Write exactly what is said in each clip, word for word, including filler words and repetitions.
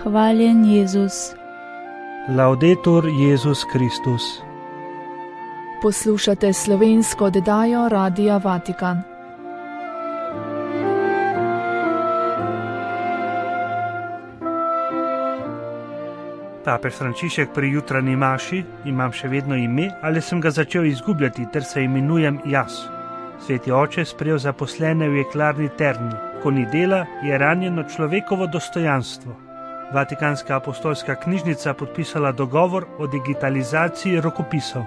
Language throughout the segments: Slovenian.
Hvaljen Jezus. Laudetur Jezus Kristus. Poslušate slovensko oddajo Radia Vatikan. Papež Frančišek pri jutranji maši, imam še vedno ime, ali sem ga začel izgubljati, ter se imenujem jaz. Sveti oče sprejel zaposlene v jeklarni Terni. Ko ni dela, je ranjeno človekovo dostojanstvo. Vatikanska apostolska knjižnica podpisala dogovor o digitalizaciji rokopisov.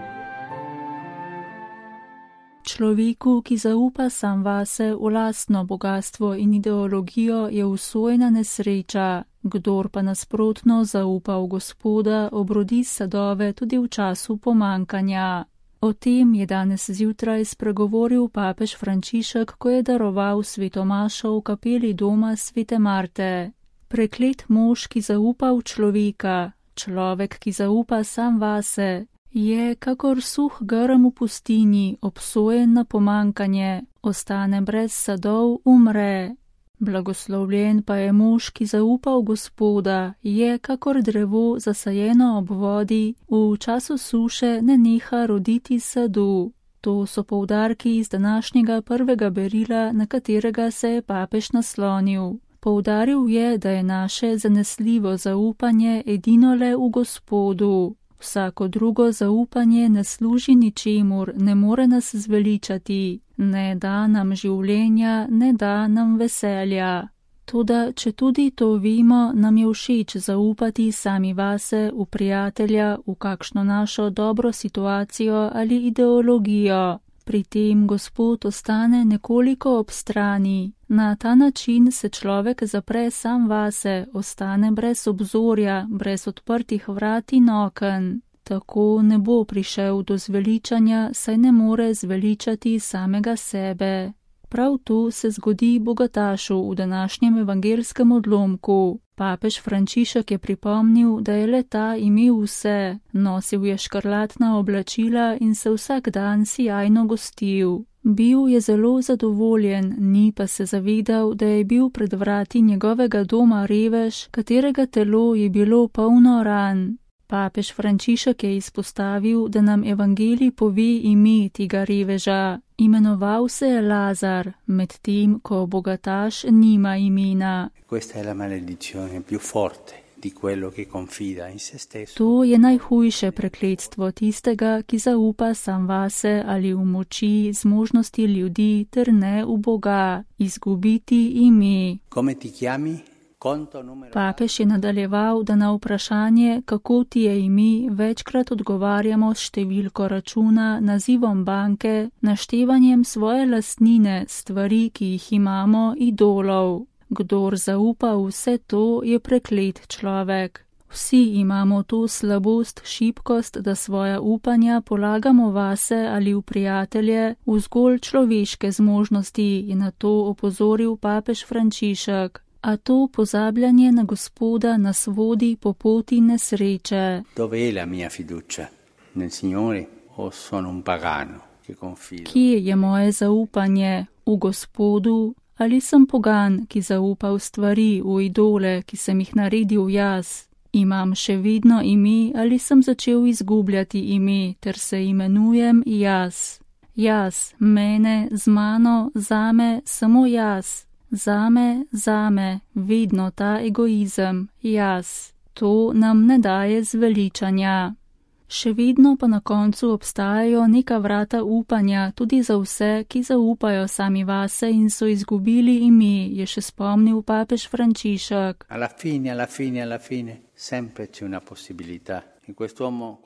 Človeku, ki zaupa sam vase v lastno bogatstvo in ideologijo, je usojena nesreča. Kdor pa nasprotno zaupa v Gospoda, obrodi sadove tudi v času pomankanja. O tem je danes zjutraj spregovoril papež Frančišek, ko je daroval sveto mašo v kapeli doma svete Marte. Preklet mož, ki zaupa v človeka, človek, ki zaupa sam vase, je kakor suh grm v pustini, obsojen na pomankanje, ostane brez sadov, umre. Blagoslovljen pa je mož, ki zaupa v Gospoda, je kakor drevo zasajeno ob vodi, v času suše ne neha roditi sadu. To so poudarki iz današnjega prvega berila, na katerega se je papež naslonil. Poudaril je, da je naše zanesljivo zaupanje edino le v Gospodu. Vsako drugo zaupanje ne služi ničemur, ne more nas zveličati, ne da nam življenja, ne da nam veselja. Toda, če tudi to vemo, nam je všeč zaupati sami vase, v prijatelja, v kakšno našo dobro situacijo ali ideologijo. Pri tem Gospod ostane nekoliko ob strani. Na ta način se človek zapre sam vase, ostane brez obzorja, brez odprtih vrat in oken. Tako ne bo prišel do zveličanja, saj ne more zveličati samega sebe. Prav tu se zgodi bogatašu v današnjem evangelskem odlomku. Papež Frančišek je pripomnil, da je le ta imel vse, nosil je škrlatna oblačila in se vsak dan sijajno gostil. Bil je zelo zadovoljen, ni pa se zavedal, da je bil pred vrati njegovega doma revež, katerega telo je bilo polno ran. Papež Frančišek je izpostavil, da nam evangelij pove ime tega reveža. Imenoval se je Lazar, medtem ko bogataš nima imena. To je najhujše prekletstvo tistega, ki zaupa sam vase ali v moči, zmožnosti ljudi, ter ne v Boga, izgubiti ime. Papež je nadaljeval, da na vprašanje, kako ti je ime, večkrat odgovarjamo s številko računa, nazivom banke, naštevanjem svoje lastnine, stvari, ki jih imamo, idolov. Kdor zaupa vse to, je preklet človek. Vsi imamo to slabost, šibkost, da svoja upanja polagamo vase ali v prijatelje, v zgolj človeške zmožnosti, je na to opozoril papež Frančišek. A to pozabljanje na Gospoda nas vodi po poti nesreče. Kje je moje zaupanje? V Gospodu? Ali sem pogan, ki zaupa v stvari, v idole, ki sem jih naredil jaz? Imam še vedno ime ali sem začel izgubljati ime, ter se imenujem jaz? Jaz, mene, z mano, zame, samo jaz. Zame, zame, vedno ta egoizem, jaz. To nam ne daje zveličanja. Še vedno pa na koncu obstajajo neka vrata upanja tudi za vse, ki zaupajo sami vase in so izgubili ime, je še spomnil papež Frančišek. Alla fine, alla fine, alla fine, sempre c'è una possibilità.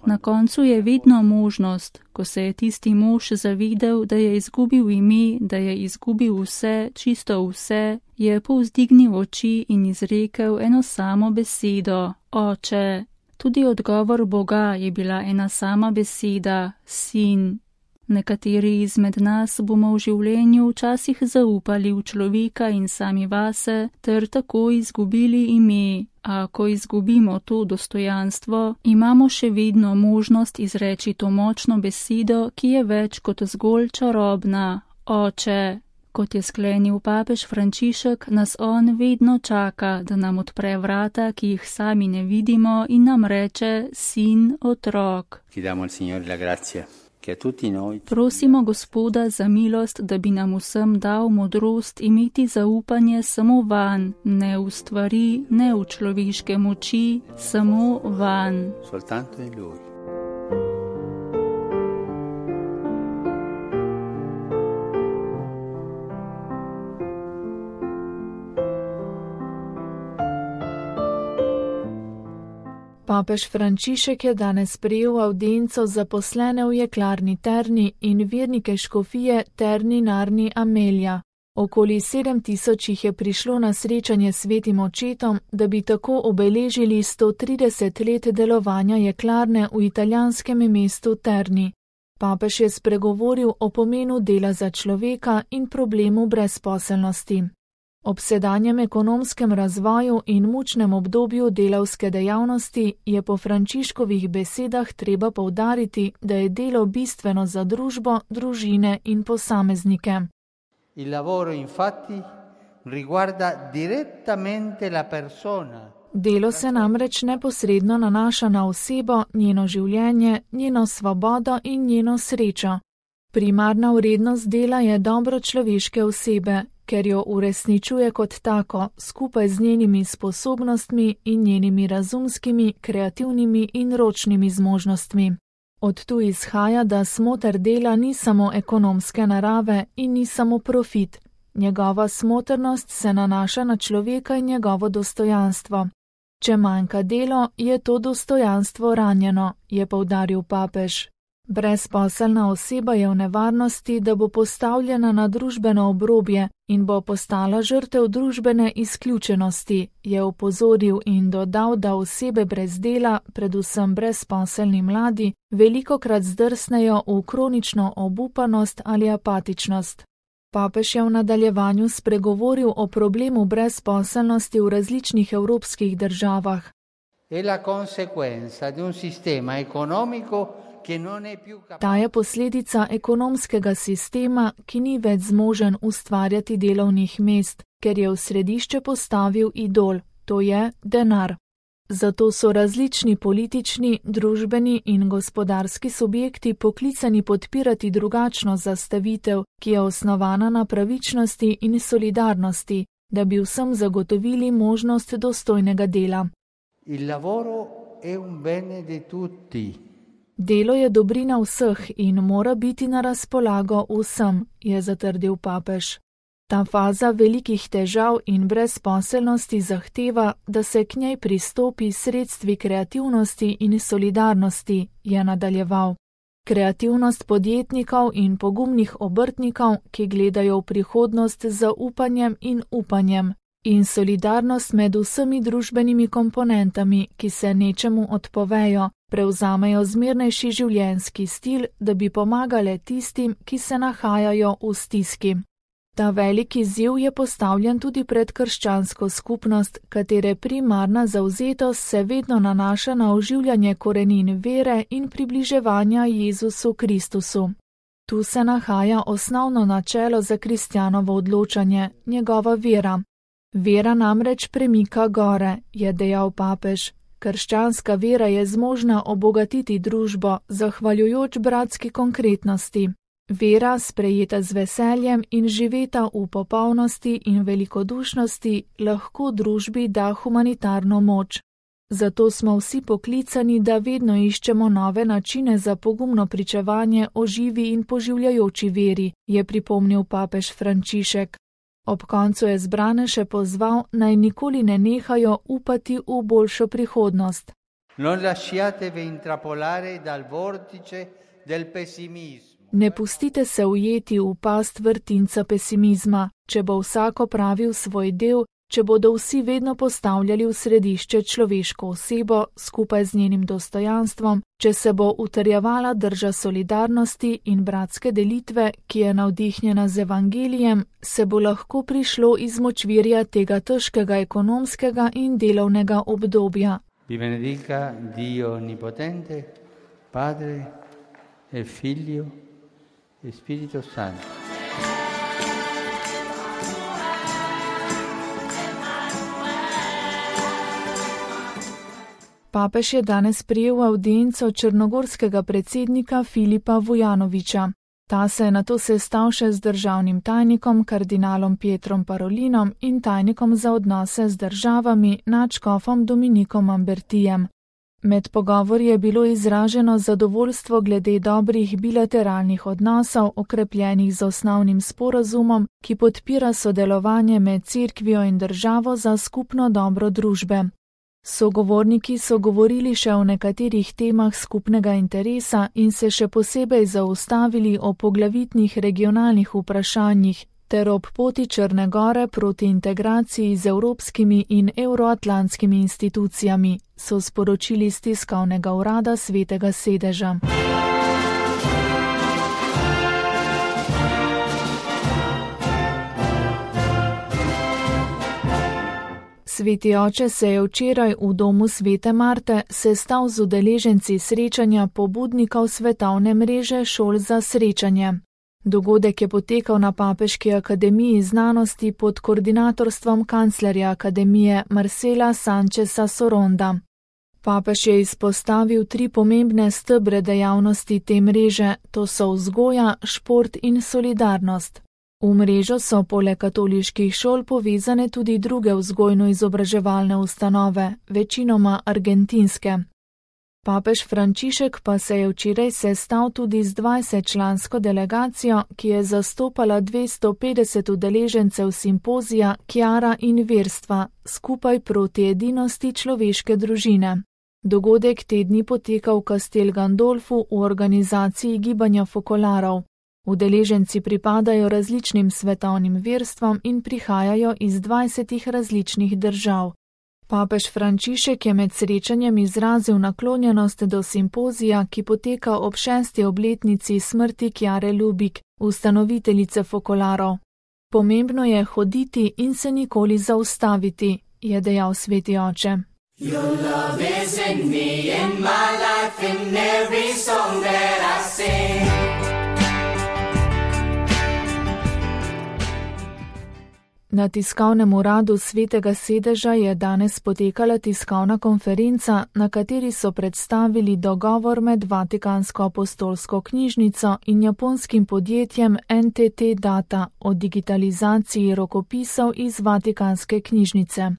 Na koncu je vedno možnost, ko se je tisti mož zavedel, da je izgubil ime, da je izgubil vse, čisto vse, je povzdignil oči in izrekel eno samo besedo, Oče. Tudi odgovor Boga je bila ena sama beseda, Sin. Nekateri izmed nas bomo v življenju včasih zaupali v človeka in sami vase, ter tako izgubili ime. A ko izgubimo to dostojanstvo, imamo še vedno možnost izreči to močno besedo, ki je več kot zgolj čarobna, Oče. Kot je sklenil papež Frančišek, nas on vedno čaka, da nam odpre vrata, ki jih sami ne vidimo, in nam reče: sin, otrok. Prosimo Gospoda za milost, da bi nam vsem dal modrost imeti zaupanje samo vanj, ne v stvari, ne v človeške moči, samo vanj. Papež Frančišek je danes prejel avdienco zaposlene v jeklarni Terni in vernike škofije Terni Narni Amelja. Okoli sedem tisoč jih je prišlo na srečanje s svetim očetom, da bi tako obeležili sto trideset let delovanja jeklarne v italijanskem mestu Terni. Papež je spregovoril o pomenu dela za človeka in problemu brezposelnosti. Ob sedanjem ekonomskem razvoju in mučnem obdobju delavske dejavnosti je po Frančiškovih besedah treba poudariti, da je delo bistveno za družbo, družine in posameznike. Il lavoro infatti riguarda direttamente la persona. Delo se namreč neposredno nanaša na osebo, njeno življenje, njeno svobodo in njeno srečo. Primarna vrednost dela je dobro človeške osebe, ker jo uresničuje kot tako, skupaj z njenimi sposobnostmi in njenimi razumskimi, kreativnimi in ročnimi zmožnostmi. Od tu izhaja, da smoter dela ni samo ekonomske narave in ni samo profit. Njegova smotrnost se nanaša na človeka in njegovo dostojanstvo. Če manjka delo, je to dostojanstvo ranjeno, je poudaril papež. Brezposelna oseba je v nevarnosti, da bo postavljena na družbeno obrobje in bo postala žrtev družbene izključenosti, je opozoril in dodal, da osebe brez dela, predvsem brezposelni mladi, velikokrat zdrsnejo v kronično obupanost ali apatičnost. Papež je v nadaljevanju spregovoril o problemu brezposelnosti v različnih evropskih državah. Ta je posledica ekonomskega sistema, ki ni več zmožen ustvarjati delovnih mest, ker je v središče postavil idol, to je denar. Zato so različni politični, družbeni in gospodarski subjekti poklicani podpirati drugačno zastavitev, ki je osnovana na pravičnosti in solidarnosti, da bi vsem zagotovili možnost dostojnega dela. Il lavoro è un bene di tutti. Delo je dobrina vseh in mora biti na razpolago vsem, je zatrdil papež. Ta faza velikih težav in brezposelnosti zahteva, da se k njej pristopi sredstvi kreativnosti in solidarnosti, je nadaljeval. Kreativnost podjetnikov in pogumnih obrtnikov, ki gledajo v prihodnost z upanjem in upanjem, in solidarnost med vsemi družbenimi komponentami, ki se nečemu odpovejo, prevzamejo zmernejši življenjski stil, da bi pomagale tistim, ki se nahajajo v stiski. Ta veliki izziv je postavljen tudi pred krščansko skupnost, katere primarna zavzetost se vedno nanaša na oživljanje korenin vere in približevanja Jezusu Kristusu. Tu se nahaja osnovno načelo za kristjanovo odločanje, njegova vera. Vera namreč premika gore, je dejal papež. Krščanska vera je zmožna obogatiti družbo, zahvaljujoč bratski konkretnosti. Vera, sprejeta z veseljem in živeta v popolnosti in velikodušnosti, lahko družbi da humanitarno moč. Zato smo vsi poklicani, da vedno iščemo nove načine za pogumno pričevanje o živi in poživljajoči veri, je pripomnil papež Frančišek. Ob koncu je zbrane še pozval, naj nikoli ne nehajo upati v boljšo prihodnost. Non lasciatevi intrappolare dal vortice del pessimismo. Ne pustite se ujeti v past vrtinca pesimizma, če bo vsak opravil svoj del, če bodo vsi vedno postavljali v središče človeško osebo skupaj z njenim dostojanstvom, če se bo utrjevala drža solidarnosti in bratske delitve, ki je navdihnjena z evangelijem, se bo lahko prišlo iz močvirja tega težkega ekonomskega in delovnega obdobja. Vi benedica Dio Onnipotente, Padre e Figlio e Spirito Santo. Papež je danes prijel avdienco črnogorskega predsednika Filipa Vujanovića. Ta se je nato sestal še z državnim tajnikom kardinalom Pietrom Parolinom in tajnikom za odnose z državami nadškofom Dominikom Ambertijem. Med pogovori je bilo izraženo zadovoljstvo glede dobrih bilateralnih odnosov, okrepljenih z osnovnim sporazumom, ki podpira sodelovanje med cerkvijo in državo za skupno dobro družbe. Sogovorniki so govorili še o nekaterih temah skupnega interesa in se še posebej zaustavili o poglavitnih regionalnih vprašanjih ter ob poti Črne Gore proti integraciji z evropskimi in evroatlantskimi institucijami, so sporočili z tiskovnega urada Svetega sedeža. Sveti oče se je včeraj v domu Svete Marte sestal z udeleženci srečanja pobudnikov svetovne mreže šol za srečanje. Dogodek je potekal na Papeški akademiji znanosti pod koordinatorstvom kanclerja akademije Marcela Sancheza Soronda. Papež je izpostavil tri pomembne stebre dejavnosti te mreže, to so vzgoja, šport in solidarnost. V mrežo so poleg katoliških šol povezane tudi druge vzgojno-izobraževalne ustanove, večinoma argentinske. Papež Frančišek pa se je včeraj sestal tudi z dvajsetčlansko delegacijo, ki je zastopala dvesto petdeset udeležencev simpozija Kjara in verstva, skupaj proti edinosti človeške družine. Dogodek te dni poteka v Castel Gandolfu v organizaciji Gibanja Fokolarov. Udeleženci pripadajo različnim svetovnim verstvom in prihajajo iz dvajsetih različnih držav. Papež Frančišek je med srečanjem izrazil naklonjenost do simpozija, ki poteka ob šesti obletnici smrti Kjare Lubik, ustanoviteljice Fokolarov. Pomembno je hoditi in se nikoli zaustaviti, je dejal sveti oče. Your love is in me, in my life, in every song that I sing. Na tiskovnem uradu Svetega sedeža je danes potekala tiskovna konferenca, na kateri so predstavili dogovor med Vatikansko apostolsko knjižnico in japonskim podjetjem N T T Data o digitalizaciji rokopisov iz Vatikanske knjižnice.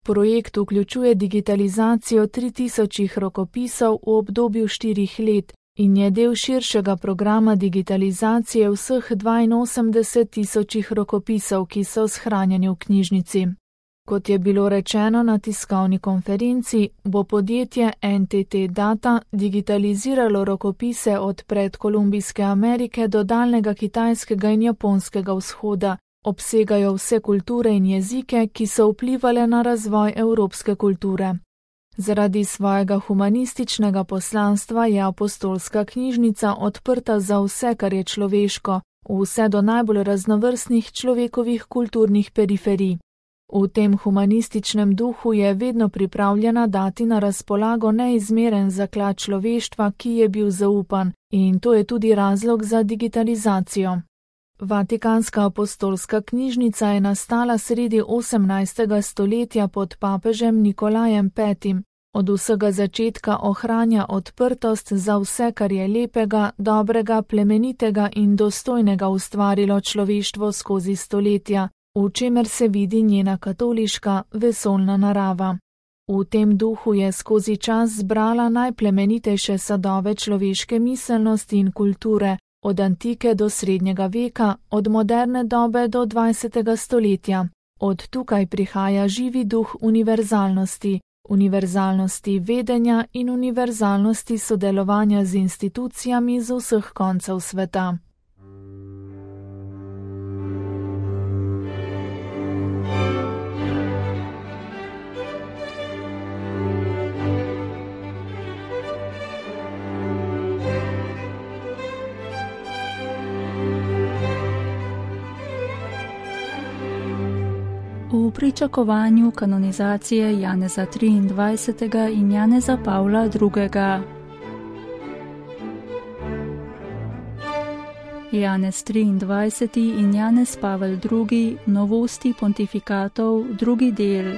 Projekt vključuje digitalizacijo tri tisoč rokopisov v obdobju štirih let in je del širšega programa digitalizacije vseh dvainosemdeset tisoč rokopisov, ki so shranjeni v knjižnici. Kot je bilo rečeno na tiskovni konferenci, bo podjetje N T T Data digitaliziralo rokopise od predkolumbijske Amerike do daljnega kitajskega in japonskega vzhoda, obsegajo vse kulture in jezike, ki so vplivale na razvoj evropske kulture. Zaradi svojega humanističnega poslanstva je apostolska knjižnica odprta za vse, kar je človeško, vse do najbolj raznovrstnih človekovih kulturnih periferij. V tem humanističnem duhu je vedno pripravljena dati na razpolago neizmeren zaklad človeštva, ki je bil zaupan, in to je tudi razlog za digitalizacijo. Vatikanska apostolska knjižnica je nastala sredi osemnajstega stoletja pod papežem Nikolajem petim. Od vsega začetka ohranja odprtost za vse, kar je lepega, dobrega, plemenitega in dostojnega ustvarilo človeštvo skozi stoletja, v čemer se vidi njena katoliška, vesoljna narava. V tem duhu je skozi čas zbrala najplemenitejše sadove človeške miselnosti in kulture, od antike do srednjega veka, od moderne dobe do dvajsetega stoletja. Od tukaj prihaja živi duh univerzalnosti, univerzalnosti vedenja in univerzalnosti sodelovanja z institucijami z vseh koncev sveta. V pričakovanju kanonizacije Janeza triindvajsetega in Janeza Pavla drugega. Janez triindvajseti in Janez Pavel drugi, novosti pontifikatov, drugi del.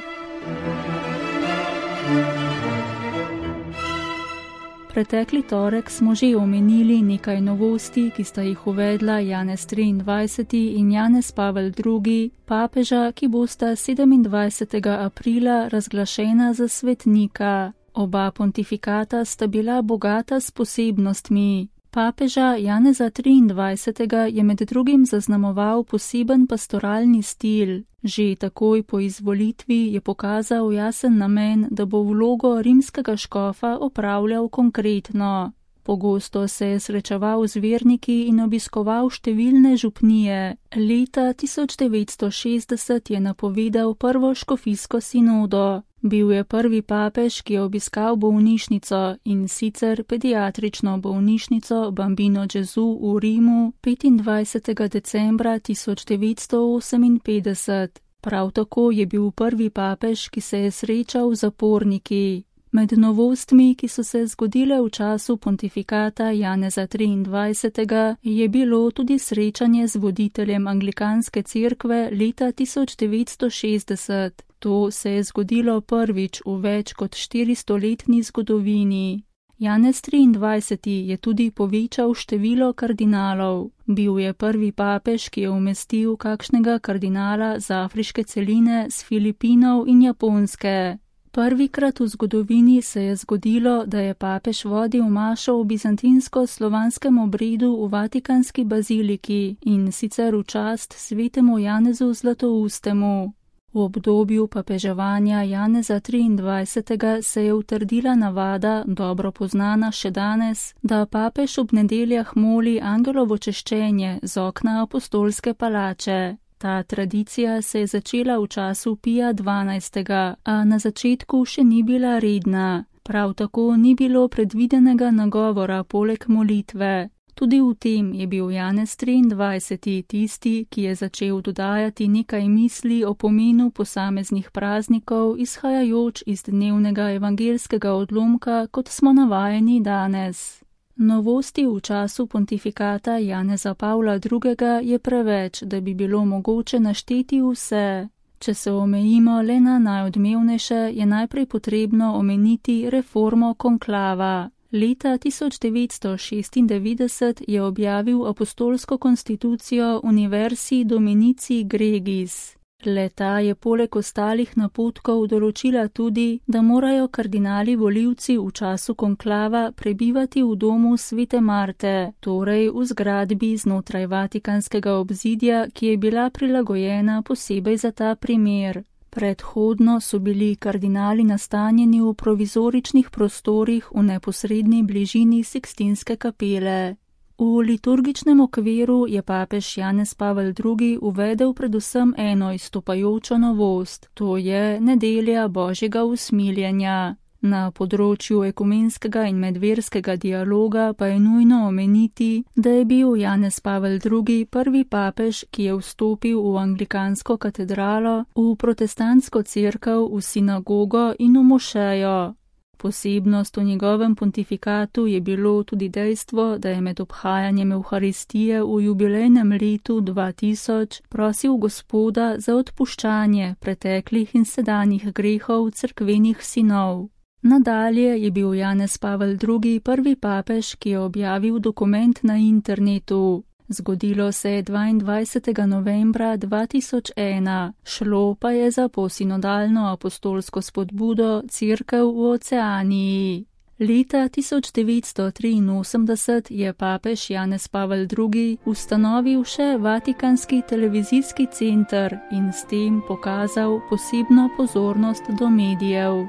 Pretekli torek smo že omenili nekaj novosti, ki sta jih uvedla Janez triindvajseti in Janez Pavel drugi, papeža, ki bosta sedemindvajsetega aprila razglašena za svetnika. Oba pontifikata sta bila bogata s posebnostmi. Papeža Janeza triindvajsetega je med drugim zaznamoval poseben pastoralni stil. Že takoj po izvolitvi je pokazal jasen namen, da bo vlogo rimskega škofa opravljal konkretno. Pogosto se je srečeval z verniki in obiskoval številne župnije. Leta tisoč devetsto šestdeset je napovedal prvo škofijsko sinodo. Bil je prvi papež, ki je obiskal bolnišnico, in sicer pediatrično bolnišnico Bambino Gesù v Rimu petindvajsetega decembra tisoč devetsto oseminpetdeset. Prav tako je bil prvi papež, ki se je srečal z zaporniki. Med novostmi, ki so se zgodile v času pontifikata Janeza triindvajsetega, je bilo tudi srečanje z voditeljem anglikanske cerkve leta tisoč devetsto šestdeset. To se je zgodilo prvič v več kot štiristoletni zgodovini. Janez triindvajseti je tudi povečal število kardinalov. Bil je prvi papež, ki je umestil kakšnega kardinala z afriške celine, z Filipinov in Japonske. Prvikrat v zgodovini se je zgodilo, da je papež vodil mašo v bizantinsko-slovanskem obredu v Vatikanski baziliki, in sicer v čast svetemu Janezu Zlatoustemu. V obdobju papeževanja Janeza triindvajsetega se je utrdila navada, dobro poznana še danes, da papež ob nedeljah moli angelovo češčenje z okna apostolske palače. Ta tradicija se je začela v času Pija dvanajstega, a na začetku še ni bila redna. Prav tako ni bilo predvidenega nagovora poleg molitve. Tudi v tem je bil Janez triindvajseti tisti, ki je začel dodajati nekaj misli o pomenu posameznih praznikov, izhajajoč iz dnevnega evangelskega odlomka, kot smo navajeni danes. Novosti v času pontifikata Janeza Pavla drugega je preveč, da bi bilo mogoče našteti vse. Če se omejimo le na najodmevnejše, je najprej potrebno omeniti reformo konklava. Leta tisoč devetsto šestindevetdeset je objavil apostolsko konstitucijo Universi Dominici Gregis. Le-ta je poleg ostalih napotkov določila tudi, da morajo kardinali volivci v času konklava prebivati v domu svete Marte, torej v zgradbi znotraj vatikanskega obzidja, ki je bila prilagojena posebej za ta primer. Predhodno so bili kardinali nastanjeni v provizoričnih prostorih v neposredni bližini Sikstinske kapele. V liturgičnem okviru je papež Janez Pavel drugi uvedel predvsem eno izstopajočo novost, to je nedelja Božjega usmiljenja. Na področju ekumenskega in medverskega dialoga pa je nujno omeniti, da je bil Janez Pavel drugi prvi papež, ki je vstopil v anglikansko katedralo, v protestantsko cerkev, v sinagogo in v mošejo. Posebnost v njegovem pontifikatu je bilo tudi dejstvo, da je med obhajanjem Evharistije v jubilejnem letu dva tisoč prosil Gospoda za odpuščanje preteklih in sedanjih grehov cerkvenih sinov. Nadalje je bil Janez Pavel drugi prvi papež, ki je objavil dokument na internetu. Zgodilo se je dvaindvajsetega novembra dva tisoč ena, šlo pa je za posinodalno apostolsko spodbudo Cerkev v Oceaniji. Leta tisoč devetsto triinosemdeset je papež Janez Pavel drugi ustanovil še Vatikanski televizijski center in s tem pokazal posebno pozornost do medijev.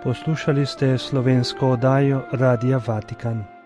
Poslušali ste slovensko oddajo Radia Vatikan.